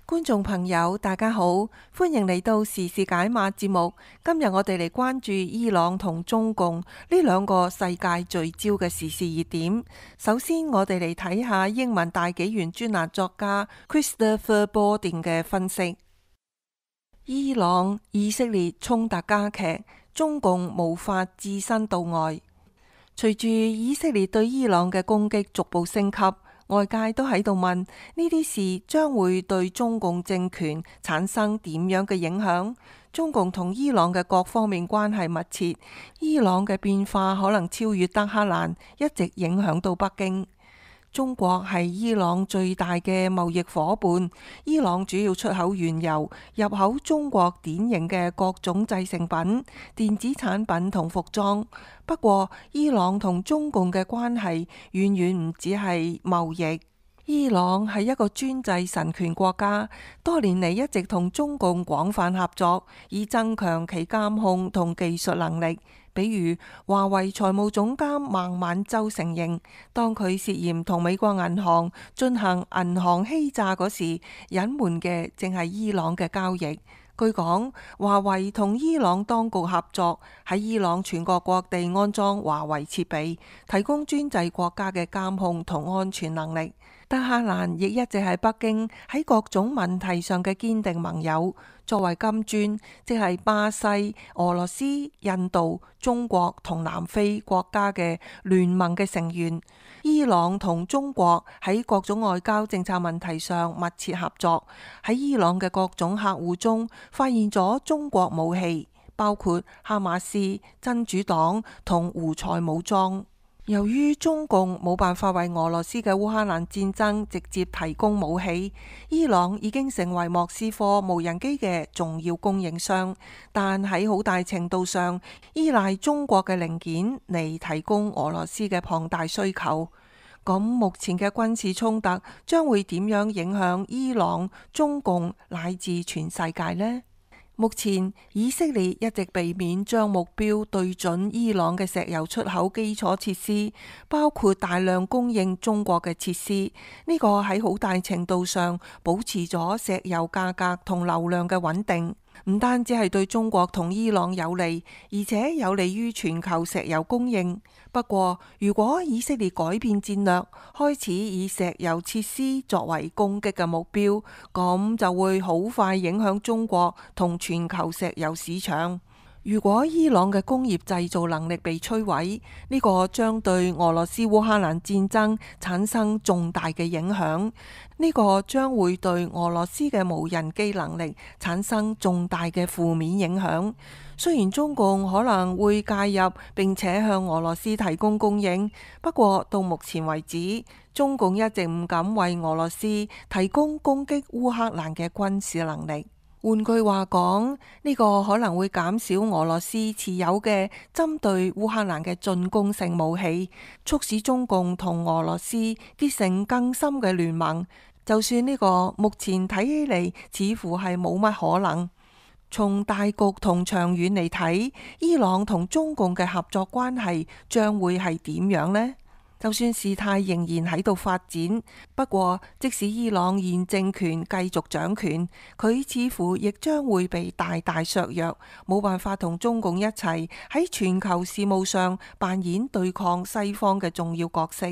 觀眾朋友，大家好，歡迎嚟到時事解碼節目。今日我哋嚟關注伊朗同中共呢兩個世界聚焦嘅時事熱點。首先，我哋嚟睇下英文大紀元專欄作家 Christopher Borden 嘅分析。伊朗以色列衝突加劇，中共無法置身度外。隨住以色列對伊朗嘅攻擊逐步升級，外界都喺度問呢啲事將會對中共政權產生點樣嘅影響？中共同伊朗嘅各方面關係密切，伊朗嘅變化可能超越德黑蘭，一直影響到北京。中國係伊朗最大嘅貿易夥伴，伊朗主要出口原油，入口中國典型嘅各種製成品、電子產品同服裝。不過，伊朗同中共嘅關係遠遠唔只係貿易。伊朗係一個專制神權國家，多年嚟一直同中共廣泛合作，以增強其監控同技術能力。比如華為財務總監孟晚舟承認，當佢涉嫌同美國銀行進行銀行欺詐嗰時，隱瞞嘅正係伊朗嘅交易。據講，華為同伊朗當局合作，喺伊朗全國各地安裝華為設備，提供專制國家嘅監控同安全能力。德黑蘭亦一直係北京喺各種問題上嘅堅定盟友。作為金磚，即係巴西、俄羅斯、印度、中國同南非國家嘅聯盟嘅成員，伊朗同中國喺各種外交政策問題上密切合作。喺伊朗嘅各種客戶中，發現咗中國武器，包括哈馬斯、真主黨同胡塞武裝。由於中共冇辦法為俄羅斯嘅烏克蘭戰爭直接提供武器，伊朗已經成為莫斯科無人機嘅重要供應商，但喺好大程度上依賴中國嘅零件嚟提供俄羅斯嘅龐大需求。咁目前嘅軍事衝突將會點樣影響伊朗、中共乃至全世界呢？目前以色列一直避免將目標對準伊朗嘅石油出口基礎設施，包括大量供應中國嘅設施。呢個喺好大程度上保持咗石油價格同流量嘅穩定。唔單止係對中國同伊朗有利，而且有利於全球石油供應。不過，如果以色列改變戰略，開始以石油設施作為攻擊嘅目標，咁就會好快影響中國同全球石油市場。如果伊朗嘅工業製造能力被摧毀，呢個將對俄羅斯烏克蘭戰爭產生重大嘅影響。呢個將會對俄羅斯嘅無人機能力產生重大嘅負面影響。雖然中共可能會介入並且向俄羅斯提供供應，不過到目前為止，中共一直唔敢為俄羅斯提供攻擊烏克蘭嘅軍事能力。換句話講，呢個可能會減少俄羅斯持有嘅針對烏克蘭嘅進攻性武器，促使中共同俄羅斯結成更深嘅聯盟。就算呢個目前睇起嚟似乎係冇乜可能，從大局同長遠嚟睇，伊朗同中共嘅合作關係將會係點樣呢？就算事態仍然喺度發展，不過即使伊朗現政權繼續掌權，佢似乎亦將會被大大削弱，冇辦法同中共一齊喺全球事務上扮演對抗西方嘅重要角色。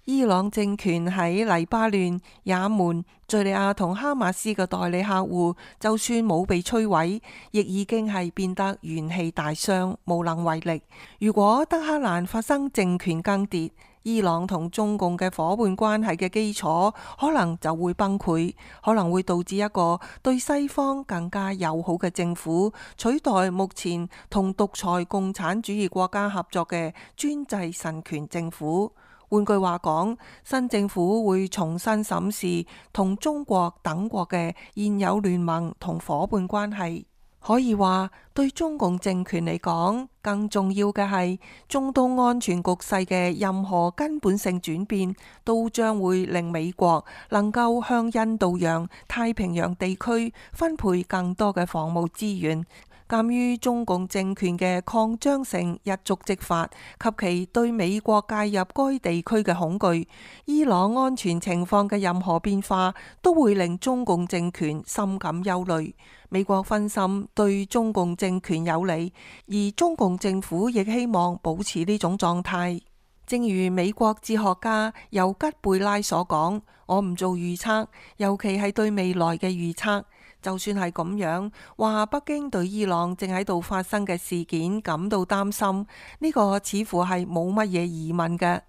伊朗政權喺黎巴嫩、也門、敘利亞同哈馬斯嘅代理客戶，就算冇被摧毀，亦已經係變得元氣大傷，無能為力。如果德黑蘭發生政權更迭，伊朗同中共嘅夥伴關係嘅基礎可能就會崩潰，可能會導致一個對西方更加友好嘅政府取代目前同獨裁共產主義國家合作嘅專制神權政府。換句話講，新政府會重新審視同中國等國嘅現有聯盟同夥伴關係。可以話，對中共政權嚟講，更重要嘅係中東安全局勢嘅任何根本性轉變，都將會令美國能夠向印度洋、太平洋地區分配更多嘅防務資源。鑒於中共政權嘅擴張性一觸即發及其對美國介入該地區嘅恐懼，伊朗安全情況嘅任何變化都會令中共政權深感憂慮。美國分心對中共政權有利，而中共政府亦希望保持呢種狀態。正如美國哲學家尤吉貝拉所講，我唔做預測，尤其係對未來嘅預測。就算係咁樣，話北京對伊朗正喺度發生嘅事件感到擔心，呢個似乎係冇乜嘢疑問嘅。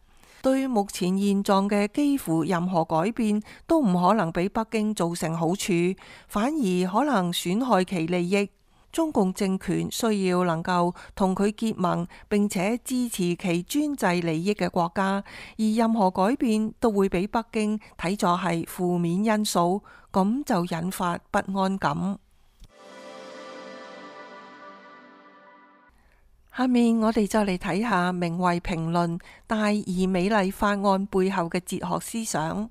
對目前現狀嘅幾乎任何改變都唔可能俾北京造成好處，反而可能損害其利益。中共政權需要能夠同佢結盟並且支持其專制利益嘅國家，而任何改變都會俾北京睇作係負面因素，咁就引發不安感。下面我哋就嚟睇下名為評論大而美麗法案背後嘅哲學思想。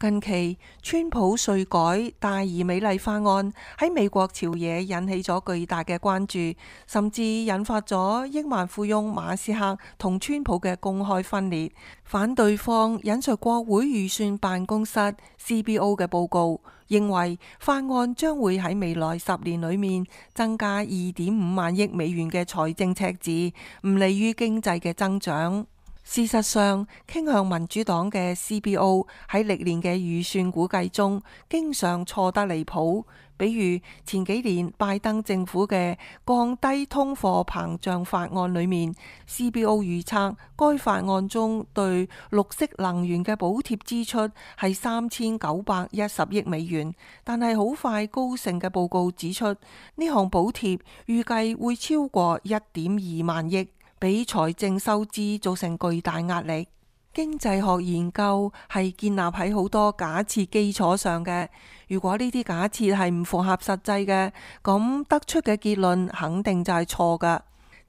近期川普稅改大而美麗法案喺美國朝野引起咗巨大嘅關注，甚至引發咗億萬富翁馬斯克同川普嘅公開分裂。反對方引述國會預算辦公室 CBO 嘅報告，認為法案將會喺未來10年裏面增加2.5萬億美元嘅財政赤字，唔利於經濟嘅增長。事實上，傾向民主黨嘅 CBO 喺歷年嘅預算估計中，經常錯得離譜。比如前幾年拜登政府嘅降低通貨膨脹法案裏面，CBO 預測該法案中對綠色能源嘅補貼支出係3910億美元，但係好快高盛嘅報告指出，呢項補貼預計會超過1.2萬億。俾財政收支造成巨大壓力。經濟學研究係建立喺好多假設基礎上嘅，如果呢啲假設係唔符合實際嘅，咁得出嘅結論肯定就係錯㗎。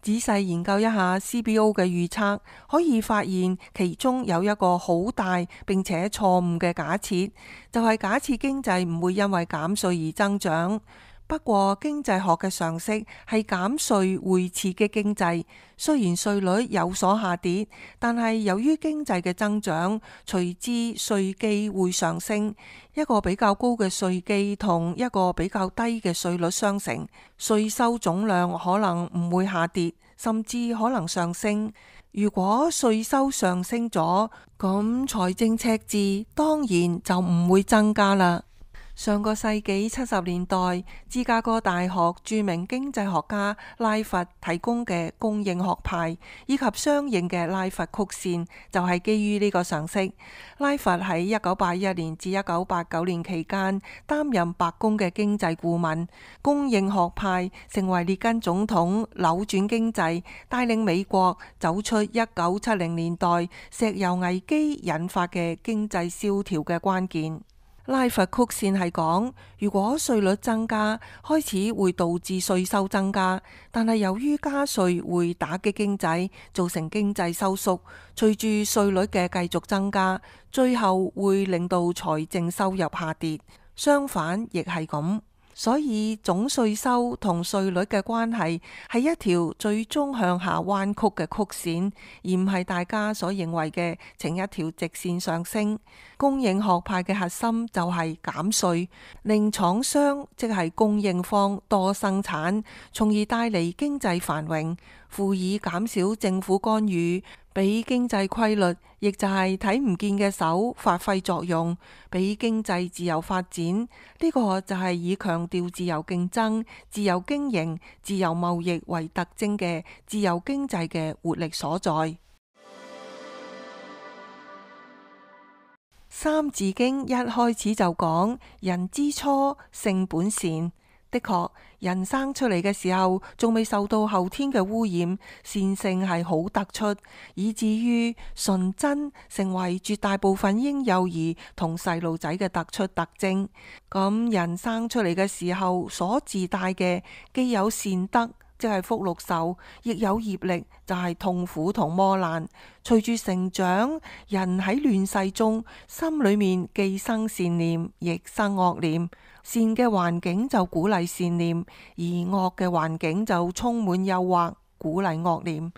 仔細研究一下 CBO 嘅預測，可以發現其中有一個好大並且錯誤嘅假設，就係假設經濟唔會因為減稅而增長。不過經濟學嘅常識係減稅會刺激經濟，雖然稅率有所下跌，但係由於經濟嘅增長，隨之稅基會上升。一個比較高嘅稅基同一個比較低嘅稅率相乘，稅收總量可能唔會下跌，甚至可能上升。如果稅收上升咗，咁財政赤字當然就唔會增加啦。上個世紀70年代，芝加哥大學著名經濟學家拉佛提供嘅供應學派以及相應嘅拉佛曲線，就係基於呢個常識。拉佛喺1981年至1989年期間擔任白宮嘅經濟顧問，供應學派成為列根總統扭轉經濟，帶領美國走出1970年代石油危機引發嘅經濟蕭條嘅關鍵。拉佛曲線係講，如果稅率增加，開始會導致稅收增加，但係由於加稅會打擊經濟，造成經濟收縮，隨住稅率嘅繼續增加，最後會令到財政收入下跌。相反亦係咁。所以總稅收同稅率嘅關係係一條最終向下彎曲嘅曲線，而唔係大家所認為嘅呈一條直線上升。供應學派嘅核心就係減稅，令廠商即係供應方多生產，從而帶嚟經濟繁榮，輔以減少政府干預，俾經濟規律，亦就係睇唔見嘅手發揮作用，俾經濟自由發展。呢個就係以強調自由競爭、自由經營、自由貿易為特徵嘅自由經濟嘅活力所在。三字經一開始就講人之初，性本善。的確，人生出嚟嘅時候仲未受到後天嘅污染，善性係好突出，以至於純真成為絕大部分嬰幼兒同細路仔嘅突出特徵。咁人生出嚟嘅時候所自帶嘅既有善德，即係福祿壽，亦有業力，就係痛苦同磨難。隨住成長，人喺亂世中，心裏面既生善念，亦生惡念。善嘅環境就鼓勵善念，而惡嘅環境就充滿誘惑，鼓勵惡念。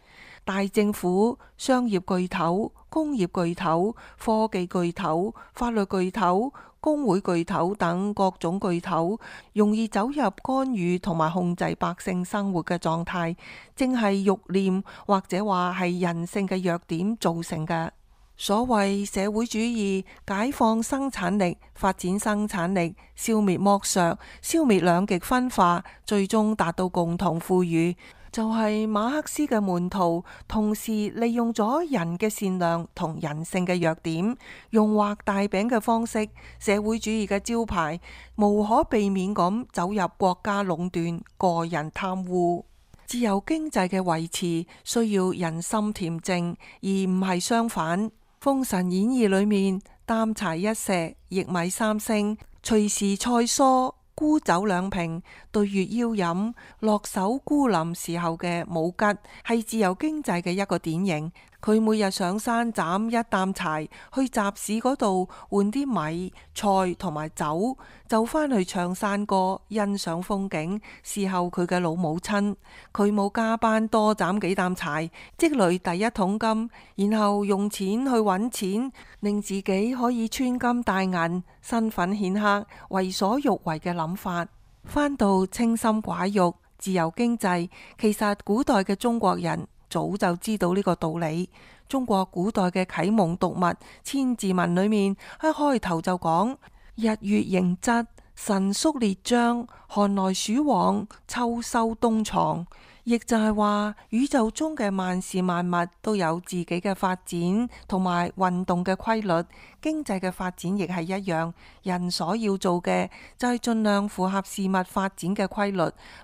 大政府、商業巨頭、工業巨頭、科技巨頭、法律巨頭、工會巨頭等各種巨頭，容易走入干預同埋控制百姓生活嘅狀態，正係欲念或者話係人性嘅弱點造成嘅。所謂社會主義，解放生產力、發展生產力、消滅剝削、消滅兩極分化，最終達到共同富裕。就係馬克思嘅門徒，同時利用咗人嘅善良同人性嘅弱點，用畫大餅嘅方式，社會主義嘅招牌無可避免咁走入國家壟斷、個人貪污。自由經濟嘅維持需要人心恬靜，而唔係相反。《封神演義》裏面，擔柴一石，薏米三升，隨時菜蔬，沽酒兩瓶，對月邀飲，落手孤林時候嘅武吉，係自由經濟嘅一個典型。佢每日上山斬一擔柴，去集市嗰度換啲米、菜同埋酒，就返去唱山歌，欣賞風景，侍候佢嘅老母親。佢冇加班多斬幾擔柴，積累第一桶金，然後用錢去揾錢，令自己可以穿金戴銀，身份顯赫，為所欲為嘅諗法。返到清心寡欲、自由經濟，其實古代嘅中國人早就知道呢個道理。中國古代嘅啟蒙讀物《千字文》裏面一開頭就講：日月盈昃，神宿列張，寒來暑往，秋收冬藏。亦就係話，宇宙中嘅萬事萬物都有自己嘅發展同埋運動嘅規律，經濟嘅發展亦係一樣。人所要做嘅就係盡量符合事物發展嘅規律，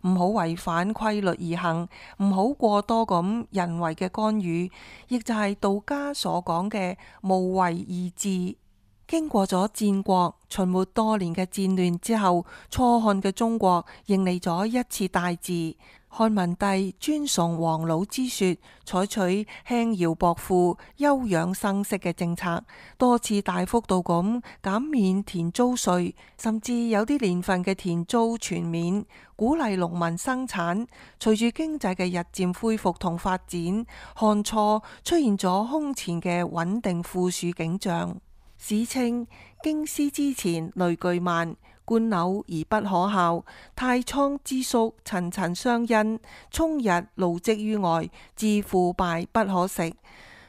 唔好違反規律而行，唔好過多咁人為嘅干預，亦就係道家所講嘅無為而治。經過咗戰國、秦末多年嘅戰亂之後，初漢嘅中國迎嚟咗一次大治。漢文帝尊崇黃老之說，採取輕徭薄賦、休養生息嘅政策，多次大幅度咁減免田租稅，甚至有啲年份嘅田租全免，鼓勵農民生產。隨住經濟嘅日漸恢復同發展，漢初出現咗空前嘅穩定富庶景象。史稱京師之前累巨萬，官朽而不可效，太倉之粟層層相因，充溢勞積於外，致腐敗不可食。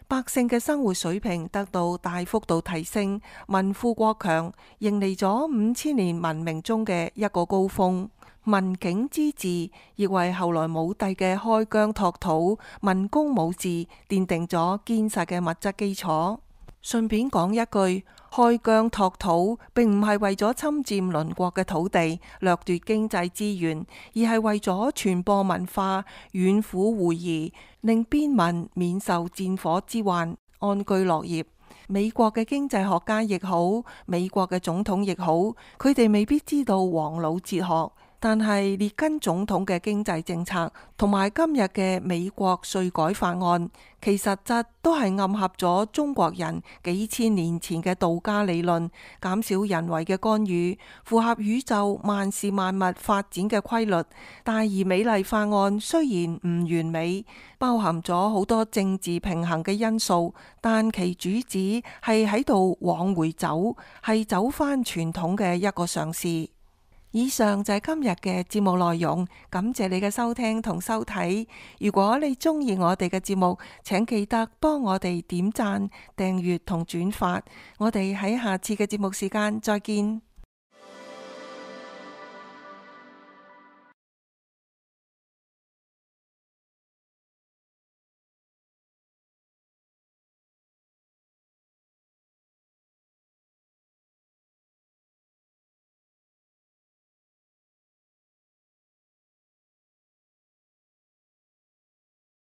百姓嘅生活水平得到大幅度提升，民富國強，迎嚟咗5000年文明中嘅一個高峰。文景之治亦為後來武帝嘅開疆拓土、文攻武治奠定咗堅實嘅物質基礎。順便講一句，開疆拓土並唔係為咗侵佔鄰國嘅土地、掠奪經濟資源，而係為咗傳播文化、遠赴會夷，令邊民免受戰火之患，安居樂業。美國嘅經濟學家亦好，美國嘅總統亦好，佢哋未必知道黃老哲學。但係列根總統嘅經濟政策同埋今日嘅美國稅改法案，其實質都係暗合咗中國人幾千年前嘅道家理論，減少人為嘅干預，符合宇宙萬事萬物發展嘅規律。大而美麗法案雖然唔完美，包含咗好多政治平衡嘅因素，但其主旨係喺度往回走，係走返傳統嘅一個嘗試。以上就係今日嘅節目內容，感謝你嘅收聽同收睇。如果你中意我哋嘅節目，請記得幫我哋點讚、訂閱同轉發。我哋喺下次嘅節目時間再見。